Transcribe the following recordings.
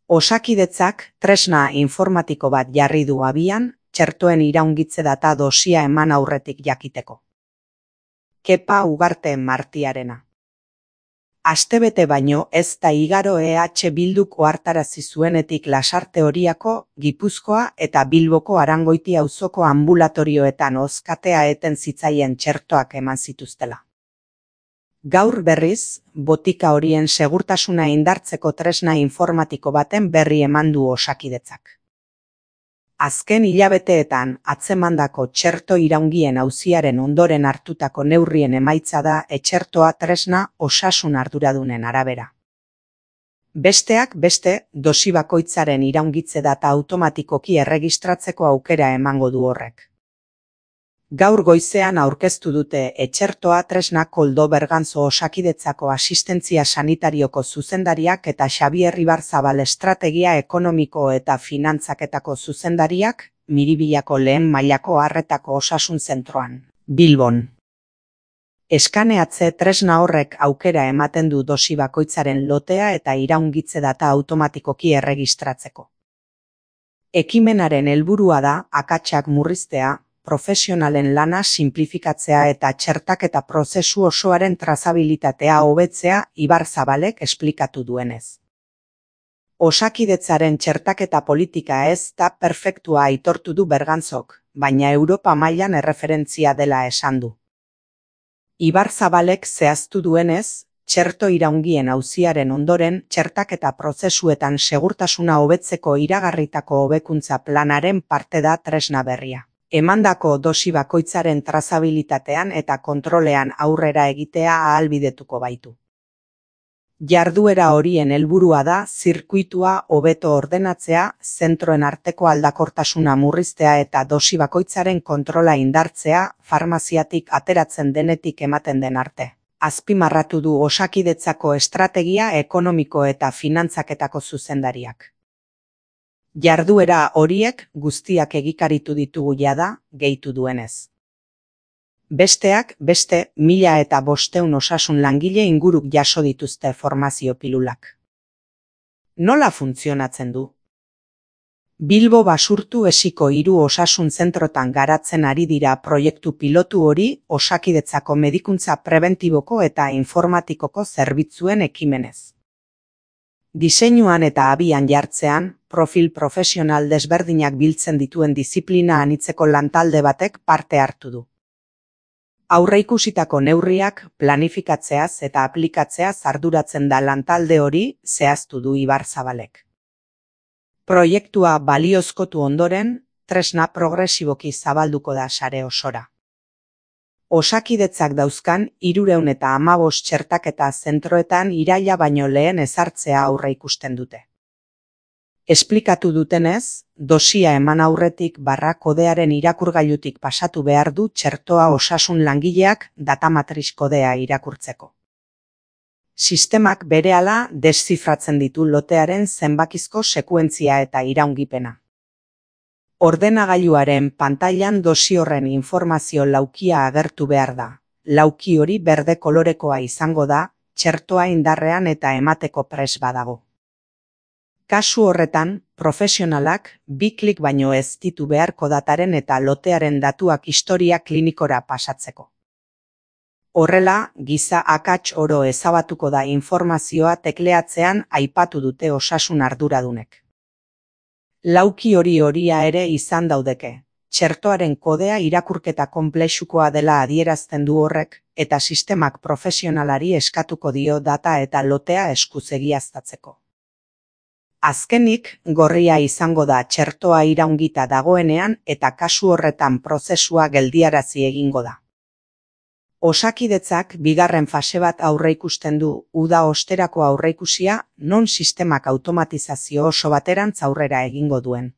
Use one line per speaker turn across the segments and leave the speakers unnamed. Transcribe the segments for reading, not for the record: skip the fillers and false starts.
Osakidetzak tresna informatiko bat jarri du abian, txertoen iraungitze data dosia eman aurretik jakiteko. Kepa Ugarte Martiarena. Astebete baino ez da igaro Bilduk ohartarazi zuenetik Lasarte Oriako, Gipuzkoa eta Bilboko Arangoiti auzoko ambulatorioetan ozkatea eten zitzaien txertoak eman zituztela. Gaur berriz, botika horien segurtasuna indartzeko tresna informatiko baten berri eman du Osakidetzak. Azken hilabeteetan atzemandako txerto iraungien auziaren ondoren hartutako neurrien emaitza da etxertoa tresna osasun arduradunen arabera. Besteak beste, dosi bakoitzaren iraungitze data automatikoki erregistratzeko aukera emango du horrek. Gaur goizean aurkeztu dute etxertoa tresna Koldo Berganzo Osakidetzako asistentzia sanitarioko zuzendariak eta Xabier Ibarzabal estrategia ekonomiko eta finantzaketako zuzendariak, Miribillako lehen mailako arretako osasun zentroan, Bilbon. Eskaneatze tresna horrek aukera ematen du dosi bakoitzaren lotea eta iraungitze data automatikoki erregistratzeko. Ekimenaren helburua da akatsak murriztea, profesionalen lana sinplifikatzea eta txertaketa prozesu osoaren trazabilitatea hobetzea Ibarzabalek esplikatu duenez. Osakidetzaren txertaketa politika ez da perfektua aitortu du Berganzok, baina Europa mailan erreferentzia dela esan du. Ibarzabalek zehaztu duenez, txerto iraungien auziaren ondoren txertaketa prozesuetan segurtasuna hobetzeko iragarritako hobekuntza planaren parte da tresna berria. Emandako dosi bakoitzaren trazabilitatean eta kontrolean aurrera egitea ahalbidetuko baitu. Jarduera horien helburua da zirkuitua hobeto ordenatzea, zentroen arteko aldakortasuna murriztea eta dosi bakoitzaren kontrola indartzea, farmaziatik ateratzen denetik ematen den arte. Azpimarratu du Osakidetzako estrategia ekonomiko eta finantzaketako zuzendariak. Jarduera horiek guztiak egikaritu ditugu jada, gehitu duenez. Besteak beste 1500 osasun langile inguruk jaso dituzte formazio pilulak. Nola funtzionatzen du? Bilbo Basurtu esiko 3 osasun zentrotan garatzen ari dira proiektu pilotu hori Osakidetzako medikuntza prebentiboko eta informatikoko zerbitzuen ekimenez. Diseinuan eta abian jartzean, profil profesional desberdinak biltzen dituen diziplina anitzeko lantalde batek parte hartu du. Aurreikusitako neurriak planifikatzeaz eta aplikatzeaz arduratzen da lantalde hori, zehaztu du Ibarzabalek. Proiektua baliozkotu ondoren, tresna progresiboki zabalduko da sare osora. Osakidetzak dauzkan 315 txertaketa zentroetan iraila baino lehen ezartzea aurreikusten dute. Esplikatu dutenez, dosia eman aurretik kodearen irakurgailutik pasatu behar du txertoa osasun langileak datamatriz kodea irakurtzeko. Sistemak berehala deszifratzen ditu lotearen zenbakizko sekuentzia eta iraungipena. Ordenagailuaren pantailan dosi horren informazio laukia agertu behar da. Lauki hori berde kolorekoa izango da, txertoa indarrean eta emateko prest badago. Kasu horretan, profesionalak 2 klik baino ez ditu beharko dataren eta lotearen datuak historia klinikora pasatzeko. Horrela, giza akats oro ezabatuko da informazioa tekleatzean aipatu dute osasun arduradunek. Lauki horia ere izan daudeke. Txertoaren kodea irakurketa konplexukoa dela adierazten du horrek, eta sistemak profesionalari eskatuko dio data eta lotea eskuz egiaztatzeko. Azkenik, gorria izango da txertoa iraungita dagoenean eta kasu horretan prozesua geldiarazi egingo da. Osakidetzak bigarren fase bat aurreikusten du, uda osterako aurreikusia, non sistemak automatizazio oso baterantz aurrera egingo duen.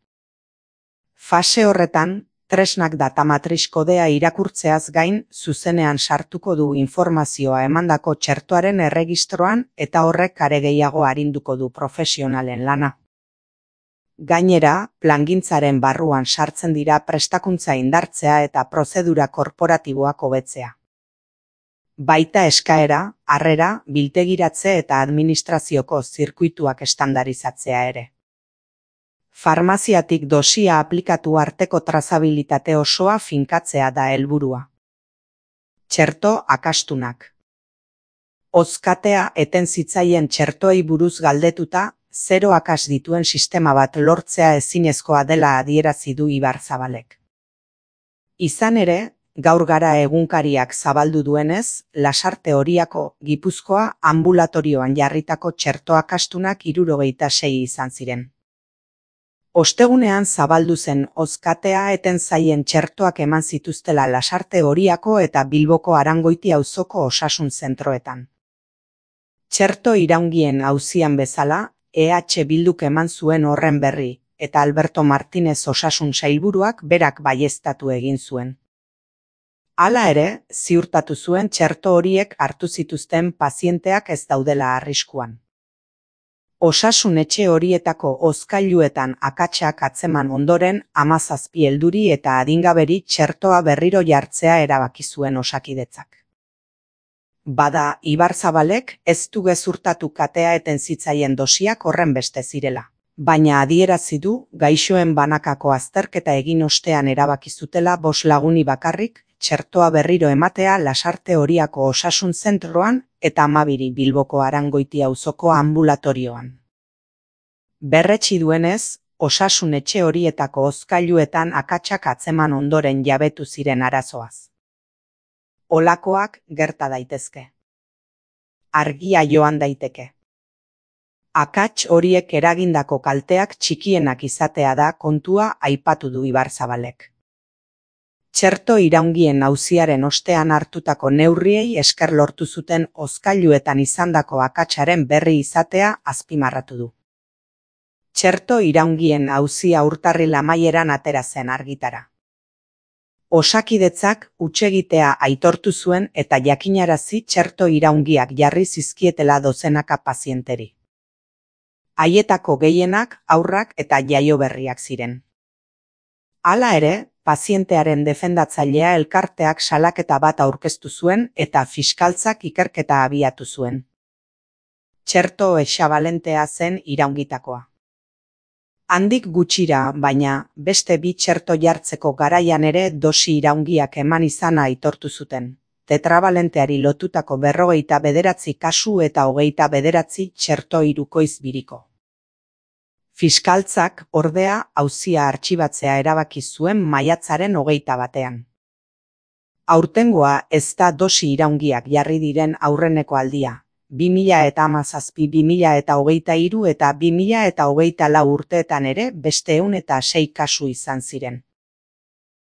Fase horretan, tresnak datamatriz kodea irakurtzeaz gain, zuzenean sartuko du informazioa emandako txertoaren erregistroan eta horrek are gehiago arinduko du profesionalen lana. Gainera, plangintzaren barruan sartzen dira prestakuntza indartzea eta prozedura korporatiboak hobetzea. Baita eskaera, harrera, biltegiratze eta administrazioko zirkuituak estandarizatzea ere. Farmaziatik dosia aplikatu arteko trazabilitate osoa finkatzea da helburua. Txerto akastunak. Hozkatea eten zitzaien txertoei buruz galdetuta, 0 akas dituen sistema bat lortzea ezinezkoa dela adierazi du Ibarzabalek. Izan ere, gaur gara egunkariak zabaldu duenez, Lasarte Oriako, Gipuzkoa, ambulatorioan jarritako txerto akastunak 76 izan ziren. Ostegunean zabaldu zen hozkatea eten zaien txertoak eman zituztela Lasarte Oriako eta Bilboko Arangoiti auzoko osasun zentroetan. Txerto iraungien auzian bezala, EH Bilduk eman zuen horren berri, eta Alberto Martinez osasun sailburuak berak baieztatu egin zuen. Hala ere, ziurtatu zuen txerto horiek hartu zituzten pazienteak ez daudela arriskuan. Osasun etxe horietako hozkailuetan akatsak atzeman ondoren 17 helduri eta adingaberi txertoa berriro jartzea erabaki zuen Osakidetzak. Bada, Ibarzabalek ez du gezurtatu katea eten zitzaien dosiak horrenbeste zirela, baina adierazi du gaixoen banakako azterketa egin ostean erabaki zutela 5 laguni bakarrik txertoa berriro ematea Lasarte Oriako osasun zentroan eta 12 Bilboko Arangoiti auzoko ambulatorioan. Berretsi duenez, osasun etxe horietako hozkailuetan akatsak atzeman ondoren jabetu ziren arazoaz. Olakoak gerta daitezke. Argia joan daiteke. Akats horiek eragindako kalteak txikienak izatea da kontua aipatu du Ibarzabalek. Txerto iraungien auziaren ostean hartutako neurriei esker lortu zuten hozkailuetan izandako akatsaren berri izatea azpimarratu du. Txerto iraungien auzia urtarril amaieran atera zen argitara. Osakidetzak hutsegitea aitortu zuen eta jakinarazi txerto iraungiak jarri zizkietela dozenaka pazienteri. Haietako gehienak haurrak eta jaioberriak ziren. Hala ere, pazientearen defendatzailea elkarteak salaketa bat aurkeztu zuen eta fiskaltzak ikerketa abiatu zuen. Txerto hexabalentea zen iraungitakoa. Handik gutxira, baina, beste 2 txerto jartzeko garaian ere dosi iraungiak eman izana aitortu zuten. Tetrabalenteari lotutako 59 kasu eta 29 txerto hirukoiz biriko. Fiskaltzak, ordea, auzia artxibatzea erabaki zuen maiatzaren 21. Aurtengoa ez da dosi iraungiak jarri diren aurreneko aldia. 2017, 2023 eta 2024 urteetan ere beste 106 kasu izan ziren.